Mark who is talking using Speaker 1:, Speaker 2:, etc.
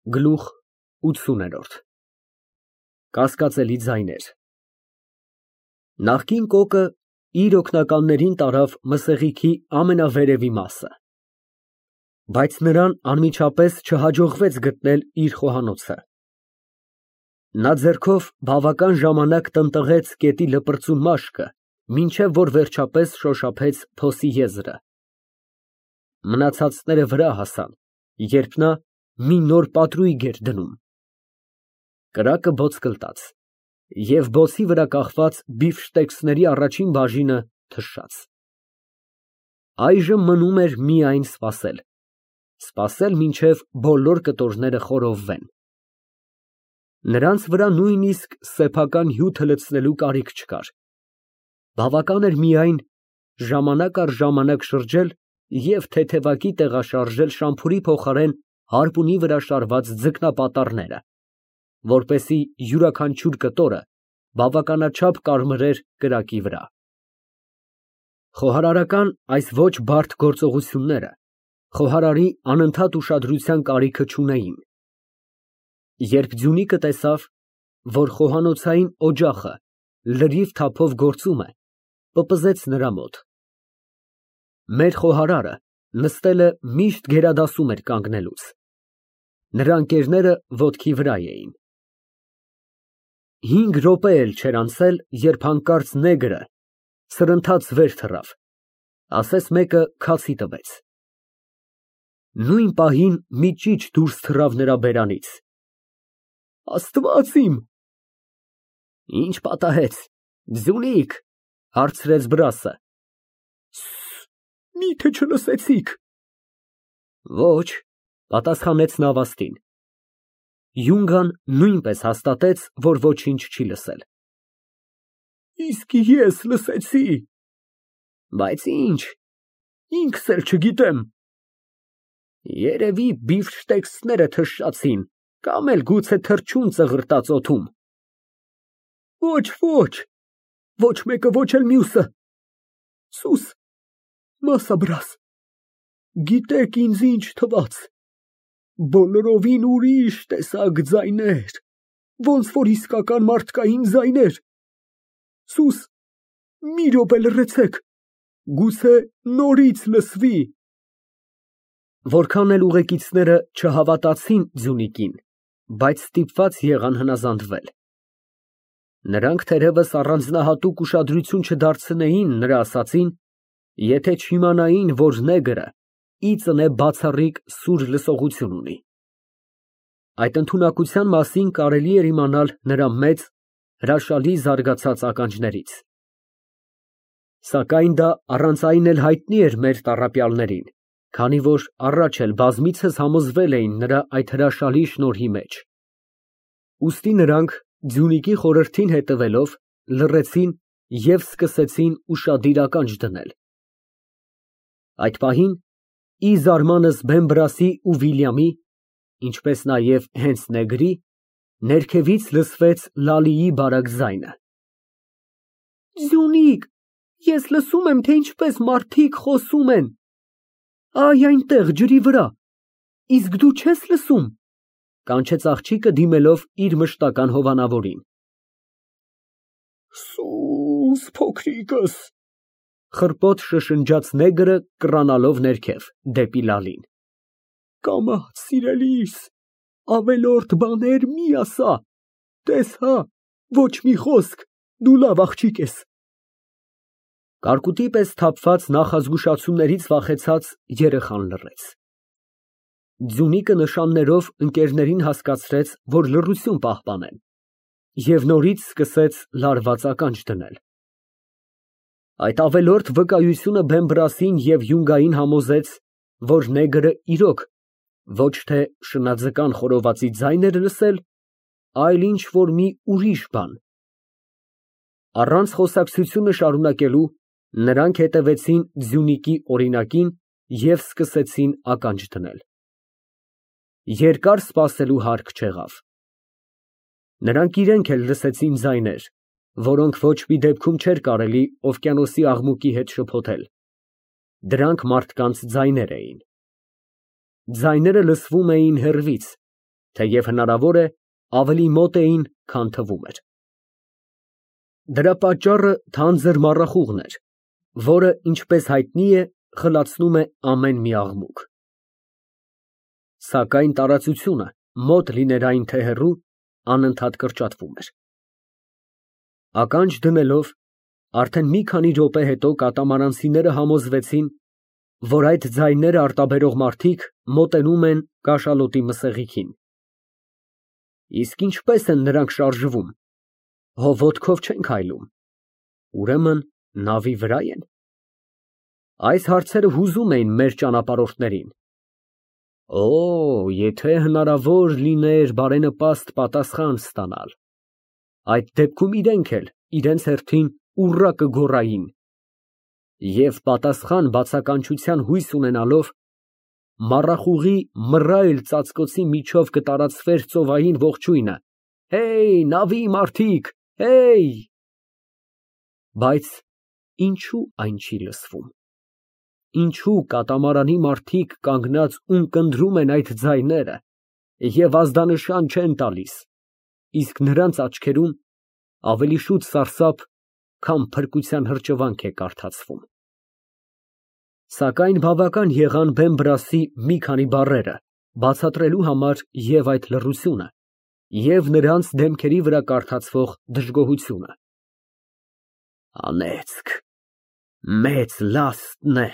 Speaker 1: Գլուխ ութսուներորդ Կասկածելի ձայներ Նախկին կոկը իր օգնականներին տարավ մսեղիքի ամենավերևի մասը, բայց նրան անմիջապես չհաջողվեց գտնել իր խոհանոցը։ Նա ձեռքով բավական ժամանակ տնտղեց գետի լպրծուն մաշկը, մինչև որ վերջապես շոշափեց փոսի եզրը։ Մնացածները վրա հասան, երբ նա մի նոր պատրույգ էր դնում։ Կրակը բոց կլտաց, և բոցի վրա կախված բիֆշտեքսների առաջին բաժինը թշաց։ Այժմ մնում էր միայն սպասել, մինչև բոլոր կտորները խորովվեն։ Նրանց վրա նույնիսկ սեփական հյութը լցնելու կարիք չկար։ Բավական էր միայն ժամանակ առ ժամանակ շրջել և թեթևակի տեղաշարժել շամփուրի փոխարեն հարպունի վրա շարված ձկնապատառները, որպեսզի յուրաքանչյուր կտորը բավականաչափ կարմրեր կրակի վրա։ Խոհարարական այս ոչ բարդ գործողությունները խոհարարի անընդհատ ուշադրության կարիքը չունեին։ Երբ Ձյունիկը տեսավ, որ խոհանոցային օջախը լրիվ թափով գործում է, պպզեց նրա մոտ։ Մեր խոհարարը նստելը միշտ գերադասում էր կանգնելուց։ Նրա ընկերները ոտքի վրա էին։ 5 րոպե էլ չէր անցել, երբ հանկարծ նեգրը սրընթաց վեր թռավ, ասես մեկը քացի տվեց։ Նույն պահին մի ճիչ դուրս թռավ նրա բերանից։ Աստված իմ։ Ինչ պատահեց, Ձյունիկ, հարցրեց Բրասը։ Միթե չլսեցիք։ Ոչ, պատասխանեց Նավաստին։ Յունգան նույնպես հաստատեց, որ ոչինչ չի լսել։ Իսկ ես լսեցի։ Բայց ինչ, ինքս էլ չգիտեմ։ Երևի բիֆշտեքսները թշացին, կամ էլ գուցե թռչուն ծղրտաց օդում։ Ոչ, ոչ մեկը, ոչ էլ մյուսը։ Սուս, մասաբրաս, գիտեք ինձ ինչ թվաց, բոլորովին ուրիշ տեսակ ձայներ, ոնց որ իսկական մարդկային ձայներ։ Սուս, մի րոպե լռեցեք, գուցե նորից լսվի։ Որքան էլ ուղեկիցները չհավատացին Ձյունիկին, բայց ստիպված եղան հնազանդվել։ Նրանք թերևս առանձնահատուկ ուշադրություն չդարձնեին նրա ասածին, եթե չիմանային, որ նեգրը ի ծնե բացառիկ սուր լսողություն ունի։ Այդ ընդունակության մասին կարելի էր իմանալ նրա մեծ, հրաշալի զարգացած ականջներից։ Սակայն դա առանց այն էլ հայտնի էր մեր տառապյալներին, քանի որ առաջ էլ բազմիցս համոզվել էին նրա այդ հրաշալի շնորհի մեջ։ Ուստի նրանք, Ձյունիկի խորհրդին հետևելով, լռեցին և սկսեցին ուշադիր ականջ դնել։ Այդ պահին, ի զարմանս Բեմբրասի ու Վիլյամի, ինչպես նաև հենց նեգրի, ներքևից լսվեց Լալիի բարակ ձայնը. Ձյունիկ, ես լսում եմ, թե ինչպես մարդիկ խոսում են։ Այ այնտեղ, ջրի վրա, իսկ դու չես լսում, կանչեց աղջիկը դիմելով իր մշտական հովանավորին։ Սուս փոքրիկս, խռպոտ շշնջաց նեգրը կռանալով ներքև, դեպի Լալին։ Կամաց, սիրելիս, ավելորդ բաներ մի ասա, տես հա, ոչ մի խոսք, դու լավ աղջիկ ես։ Կարկուտի պես թափված նախազգուշացումներից վախեցած երեխան լռեց։ Ձյունիկը նշաններով ընկերներին հասկացրեց, որ լռություն պահպանեն, և նորից սկսեց լարված ականջ դնել։ Այդ ավելորդ վկայությունը Բեմբրասին և Յունգային համոզեց, որ նեգրը իրոք ոչ թե շնաձկան խորովածի ձայն էր լսել, այլ ինչ֊որ մի ուրիշ բան։ Առանց խոսակցությունը շարունակելու, նրանք հետևեցին Ձյունիկի օրինակին և սկսեցին ականջ դնել։ Երկար սպասելու հարկ չեղավ։ Նրանք իրենք էլ լսեցին ձայներ, որոնք ոչ մի դեպքում չէր կարելի օվկիանոսի աղմուկի հետ շփոթել։ Դրանք մարդկանց ձայներ էին։ Ձայները լսվում էին հեռվից, թեև հնարավոր է ավելի մոտ էին, քան թվում էր։ Դրա պատճառը թանձր մառախուղն էր, որը, ինչպես հայտնի է, խլացնում է ամեն մի աղմուկ։ Սակայն տարածությունը, մոտ լիներ այն թե հեռու, անընդհատ կրճատվում էր։ Ականջ դնելով, արդեն մի քանի րոպե հետո կատամարանցիները համոզվեցին, որ այդ ձայները արտաբերող մարդիկ մոտենում են կաշալոտի մսեղիքին։ Իսկ ինչպես են նրանք շարժվում, հո ոտքով չեն քայլում, ուրեմն նավի վրա են։ Այս հարցերը հուզում էին մեր ճանապարհորդներին։ Օ, եթե հնարավոր լիներ բարենպաստ պատասխան ստանալ, այդ դեպքում իրենք էլ իրենց հերթին ուռա կգոռային, և պատասխան բացականչության հույս ունենալով, մառախուղի մռայլ ծածկոցի միջով կտարածվեր ծովային ողջույնը. «Հեյ, նավի մարդիկ, հեյ»։ Բայց ինչու այն չի լսվում։ Ինչու կատամարանի մարդիկ կանգնած ունկնդրում են այդ ձայները և ազդանշան չեն տալիս, իսկ նրանց աչքերում ավելի շուտ սարսափ, քան փրկության հրճվանք է կարդացվում։ Սակայն բավական եղան Բեն֊Բրասի մի քանի բառերը բացատրելու համար և այդ լռությունը, և նրանց դեմքերի վրա կարդացվող դժգոհությունը։ Անեծք, մեծ լաստն է